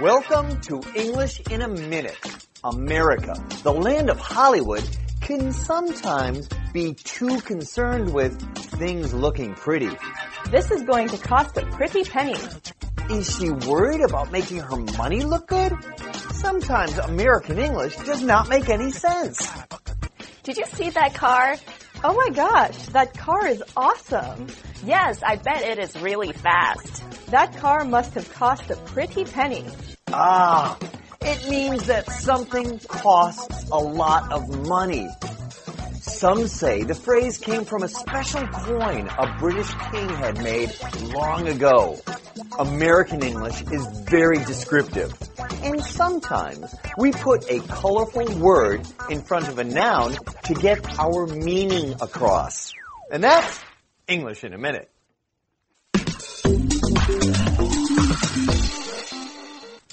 Welcome to English in a Minute. America, the land of Hollywood, can sometimes be too concerned with things looking pretty. This is going to cost a pretty penny. Is she worried about making her money look good? Sometimes American English does not make any sense. Did you see that car? Oh my gosh, that car is awesome. Yes, I bet it is really fast. That car must have cost a pretty penny. Ah, it means that something costs a lot of money. Some say the phrase came from a special coin a British king had made long ago. American English is very descriptive, and sometimes we put a colorful word in front of a noun to get our meaning across. And that's English in a Minute.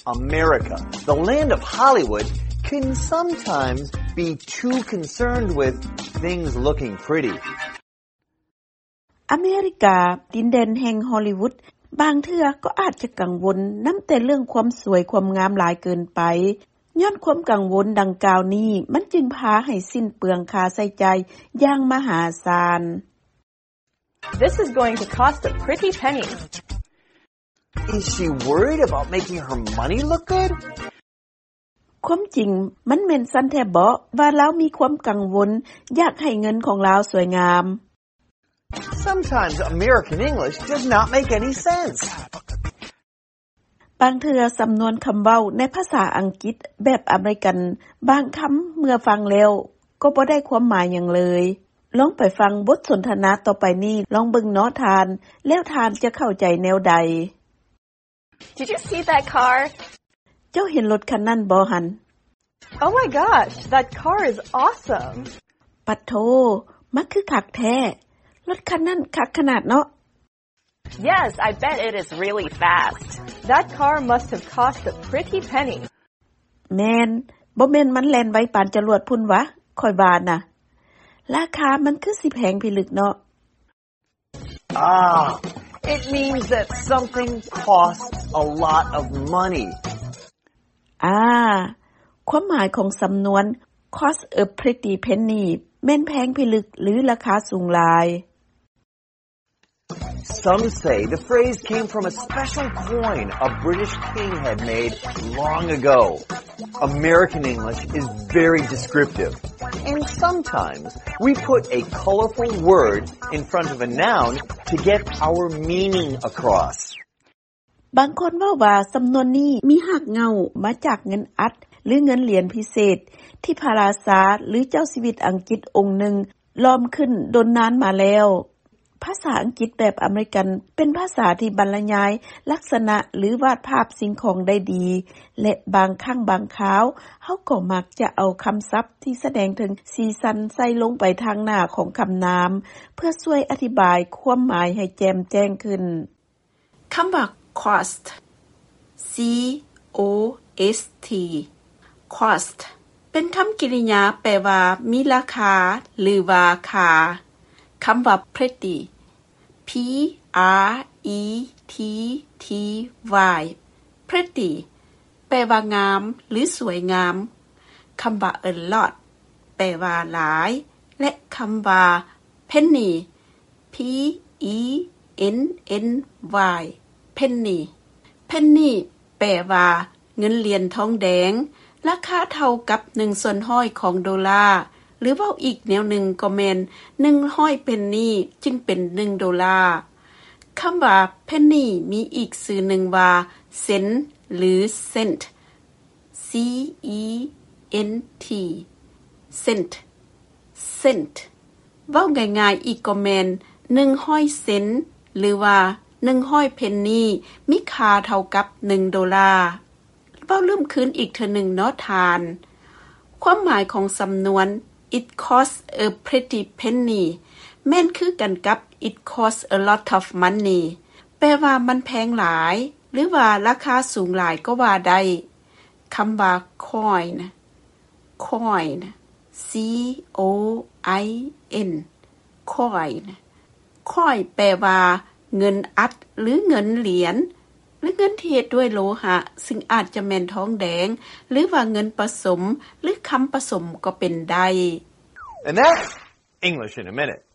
America, the land of Hollywood, can sometimes be too concerned with things looking pretty. ອາເມລິກາ, ດິນແດນແຫ່ງຮໍລີວຸດ, ບາງເທື່ອກໍອາດຈະກັງວົນນຳແຕ່ເລື່ອງຄວາມສວຍຄວາມງາມຫຼາຍເກີນໄປ. ຍ້ອນຄວາມກັງວົນດັ່ງກ່າວນີ້, ມັນຈຶ່ງພາໃຫ້ສິ້ນເປືອງຄ່າໃຊ້ຈ່າຍຢ່າງມະຫາສານ. This is going to cost a pretty penny. Is she worried about making her money look good? ຄວາມຈິງ, ມັນແມ່ນຊັ້ນແທ້ເບາະ ວ່າລາວມີຄວາມກັງວົນຢາກໃຫ້ເງິນຂອງລາວສວຍງາມ? Sometimes American English does not make any sense. ບາງເທື່ອສຳນວນຄຳເວົ້າໃນພາສາອັງກິດແບບອາເມລິກັນ ບາງຄຳເມື່ອຟັງແລ້ວກໍບໍ່ໄດ້ຄວາມໝາຍຫຍັງເລີຍ. ລອງໄປຟັງບົດສົນທະນາຕໍ່ໄປນີ້, ລອງເບິ່ງເນາະທ່ານ, ແລ້ວທ່ານຈະເຂົ້າໃຈແນວໃດ? Did you see that car? ເຈົ້າເຫັນລົດຄັນນັ້ນບໍ່ຫັ້ນ? Oh my gosh, that car is awesome. ປະໂທ, ມັນຄືຄັກແທ້. ລົດຄັນນັ້ນຄັກຂະໜາດເນາະ. Yes, I bet it is really fast. That car must have cost a pretty penny. ແມ່ນ, ບໍ່ແມ່ນມັນແລ່ນໄວປານຈະຫຼວດພຸ້ນຫວາ, ຂ້ອຍວ່ານະ. ລາຄາມັນຄືຊິແພງພິລຶກເນາະ. Ah, it means that something costs a lot of money. ອາ, ຄວາມໝາຍຂອງສຳນວນ cost a pretty penny ແມ່ນແພງພິລຶກ ຫຼື ລາຄາສູງຫຼາຍ. Some say the phrase came from a special coin a British king had made long ago. American English is very descriptive, and sometimes we put a colorful word in front of a noun to get our meaning across. ບາງຄົນເວົ້າວ່າສຳນວນນີ້ມີຮາກເຫງົ້າມາຈາກເງິນອັດ ຫຼື ເງິນຫຼຽນພິເສດ ທີ່ພະລາຊາ ຫຼື ເຈົ້າຊີວິດອັງກິດອົງໜຶ່ງຫຼອມຂຶ້ນດົນນານມາແລ້ວ. ພາສາອັງກິດແບບອາເມລິກັນເປັນພາສາທີ່ບັນລະຍາຍລັກສະນະ ຫຼື ວາດພາບສິ່ງຂອງໄດ້ດີ ແລະ ບາງຄັ້ງບາງຄາວ ເຮົາກໍມັກຈະເອົາຄຳສັບທີ່ສະແດງເຖິງສີສັນໃສ່ລົງໄປທາງໜ້າຂອງຄຳນາມ ເພື່ອຊ່ວຍອະທິບາຍຄວາມໝາຍໃຫ້ແຈ່ມແຈ້ງຂຶ້ນ. ຄຳວ່າ cost, C O S T, cost ເປັນຄຳກິລິຍາແປວ່າມີລາຄາ ຫຼືວ່າຄ່າ. ຄຳວ່າ pretty, P R E T T Y, pretty ແປວ່າງາມ ຫຼື ສວຍງາມ. ຄຳວ່າ a lot ແປວ່າຫຼາຍ ແລະ ຄຳວ່າ penny, P E N N Y, penny, penny ແປວ່າເງິນຫຼຽນທອງແດງ ລາຄາເທົ່າກັບໜຶ່ງສ່ວນຮ້ອຍຂອງໂດລາ ຫຼື ເວົ້າອີກແນວໜຶ່ງກໍແມ່ນ ໜຶ່ງຮ້ອຍເພັນນີຈຶ່ງເປັນໜຶ່ງໂດລາ. ຄຳວ່າ penny ມີອີກຊື່ໜຶ່ງວ່າ ເຊັນ ຫຼື cent, C E N T, cent, cent ເວົ້າງ່າຍໆອີກກໍແມ່ນ ໜຶ່ງຮ້ອຍເຊັນ ຫຼືວ່າ ໜຶ່ງຮ້ອຍເພັນນີ ມີຄ່າເທົ່າກັບໜຶ່ງໂດລາ. ເວົ້າເລີ່ມຄືນອີກເທື່ອໜຶ່ງເນາະທ່ານ. ຄວາມໝາຍຂອງສຳນວນ It costs a pretty penny ແມ່ນຄືກັນກັບ It costs a lot of money ແປວ່າມັນແພງຫຼາຍ ຫຼືວ່າລາຄາສູງຫຼາຍກໍວ່າໄດ້. ຄຳວ່າ coin, coin, C O I N, coin, coin ແປວ່າເງິນອັດ ຫຼື ເງິນຫຼຽນ. ແລະເງິນທີ່ເຮັດດ້ວຍໂລຫະ ຊຶ່ງອາດຈະແມ່ນທອງແດງ ຫຼືວ່າເງິນປະສົມ ຫຼືຄຳປະສົມກໍເປັນໄດ້. And that's English in a minute.